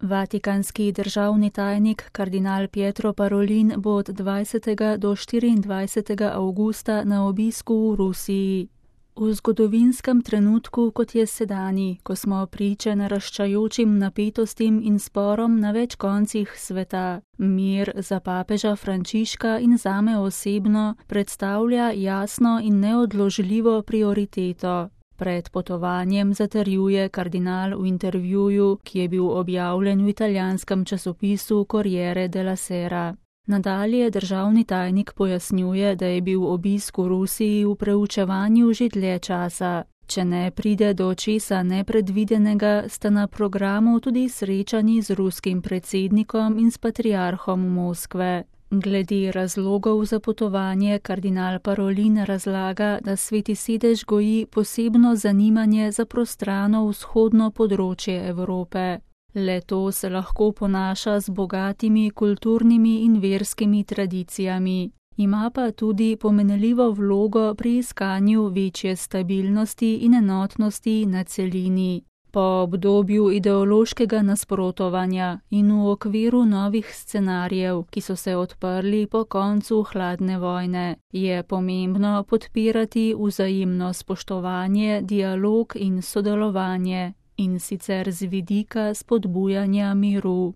Vatikanski državni tajnik kardinal Pietro Parolin bo od 20. do 24. avgusta na obisku v Rusiji. V zgodovinskem trenutku, kot je sedanji, ko smo priče naraščajočim napetostim in sporom na več koncih sveta, mir za papeža Frančiška in zame osebno predstavlja jasno in neodložljivo prioriteto. Pred potovanjem zatrjuje kardinal v intervjuju, ki je bil objavljen v italijanskem časopisu Corriere della Sera. Nadalje državni tajnik pojasnjuje, da je bil obisk v Rusiji v preučevanju že dlje časa. Če ne pride do česa nepredvidenega, sta na programu tudi srečanji z ruskim predsednikom in s patriarhom Moskve. Glede razlogov za potovanje kardinal Parolin razlaga, da Sveti sedež goji posebno zanimanje za prostrano vzhodno področje Evrope. Le to se lahko ponaša z bogatimi kulturnimi in verskimi tradicijami. Ima pa tudi pomenljivo vlogo pri iskanju večje stabilnosti in enotnosti na celini. Po obdobju ideološkega nasprotovanja in v okviru novih scenarijev, ki so se odprli po koncu hladne vojne, je pomembno podpirati vzajemno spoštovanje, dialog in sodelovanje, in sicer z vidika spodbujanja miru.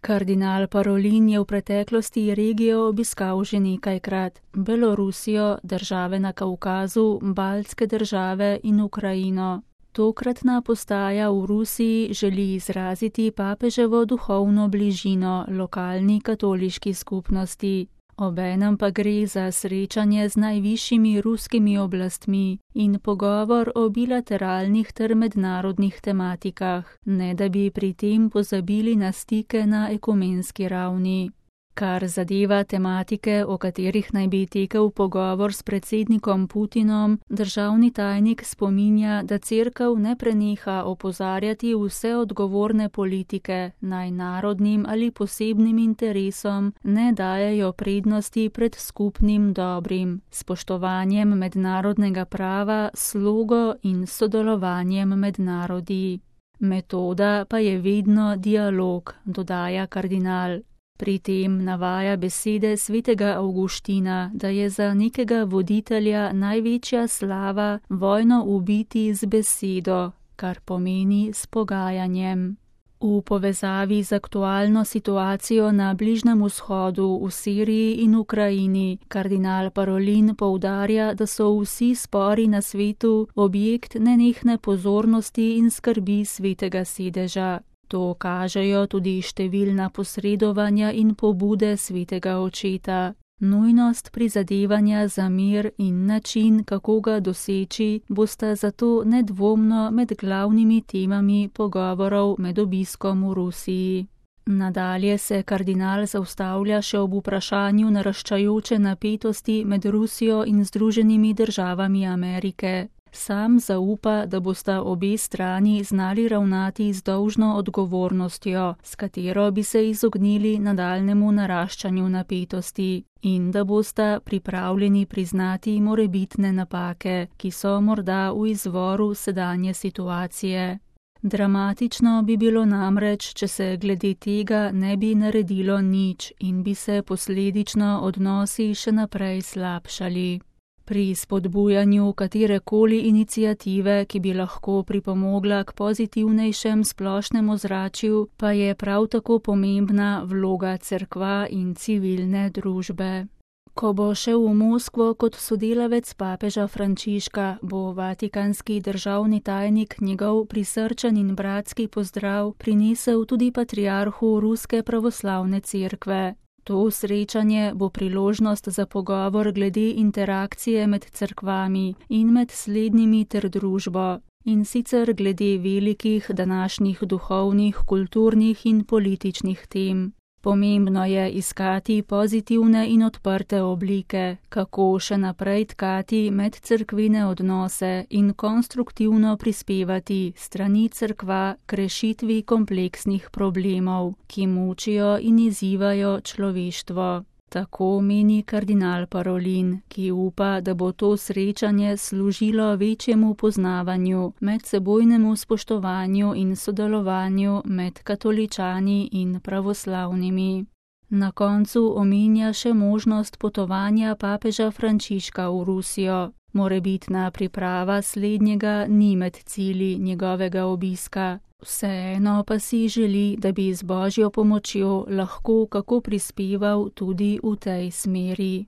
Kardinal Parolin je v preteklosti regijo obiskal že nekajkrat: Belorusijo, države na Kavkazu, baltske države in Ukrajino. Tokratna postaja v Rusiji želi izraziti papeževo duhovno bližino lokalni katoliški skupnosti. Obenem pa gre za srečanje z najvišjimi ruskimi oblastmi in pogovor o bilateralnih ter mednarodnih tematikah, ne da bi pri tem pozabili na stike na ekumenski ravni. Kar zadeva tematike, o katerih naj bi tekel pogovor s predsednikom Putinom, državni tajnik spominja, da Cerkev ne preneha opozarjati vse odgovorne politike, naj narodnim ali posebnim interesom ne dajejo prednosti pred skupnim dobrim, spoštovanjem mednarodnega prava, slogo in sodelovanjem med narodi. Metoda pa je vedno dialog, dodaja kardinal. Pri tem navaja besede svetega Avguština, da je za nekega voditelja največja slava vojno ubiti z besedo, kar pomeni s pogajanjem. V povezavi z aktualno situacijo na Bližnjem vzhodu, v Siriji in Ukrajini, kardinal Parolin poudarja, da so vsi spori na svetu objekt nenehne pozornosti in skrbi svetega sedeža. To kažejo tudi številna posredovanja in pobude svetega očeta. Nujnost prizadevanja za mir in način, kako ga doseči, bosta zato nedvomno med glavnimi temami pogovorov med obiskom v Rusiji. Nadalje se kardinal zaustavlja še ob vprašanju naraščajoče napetosti med Rusijo in Združenimi državami Amerike. Sam zaupa, da bosta obe strani znali ravnati z dolžno odgovornostjo, s katero bi se izognili nadaljnemu naraščanju napetosti, in da bosta pripravljeni priznati morebitne napake, ki so morda v izvoru sedanje situacije. Dramatično bi bilo namreč, če se glede tega ne bi naredilo nič in bi se posledično odnosi še naprej slabšali. Pri spodbujanju katerekoli iniciative, ki bi lahko pripomogla k pozitivnejšem splošnem ozračju, pa je prav tako pomembna vloga cerkva in civilne družbe. Ko bo šel v Moskvo kot sodelavec papeža Frančiška, bo vatikanski državni tajnik njegov prisrčen in bratski pozdrav prinesel tudi patriarhu Ruske pravoslavne cerkve. To srečanje bo priložnost za pogovor glede interakcije med cerkvami in med slednjimi ter družbo, in sicer glede velikih današnjih duhovnih, kulturnih in političnih tem. Pomembno je iskati pozitivne in odprte oblike, kako še naprej tkati medcerkvene odnose in konstruktivno prispevati strani cerkva k rešitvi kompleksnih problemov, ki mučijo in izzivajo človeštvo. Tako meni kardinal Parolin, ki upa, da bo to srečanje služilo večjemu poznavanju, medsebojnemu spoštovanju in sodelovanju med katoličani in pravoslavnimi. Na koncu omenja še možnost potovanja papeža Frančiška v Rusijo. Morebitna priprava slednjega ni med cilji njegovega obiska. Vseeno pa si želi, da bi z Božjo pomočjo lahko kako prispeval tudi v tej smeri.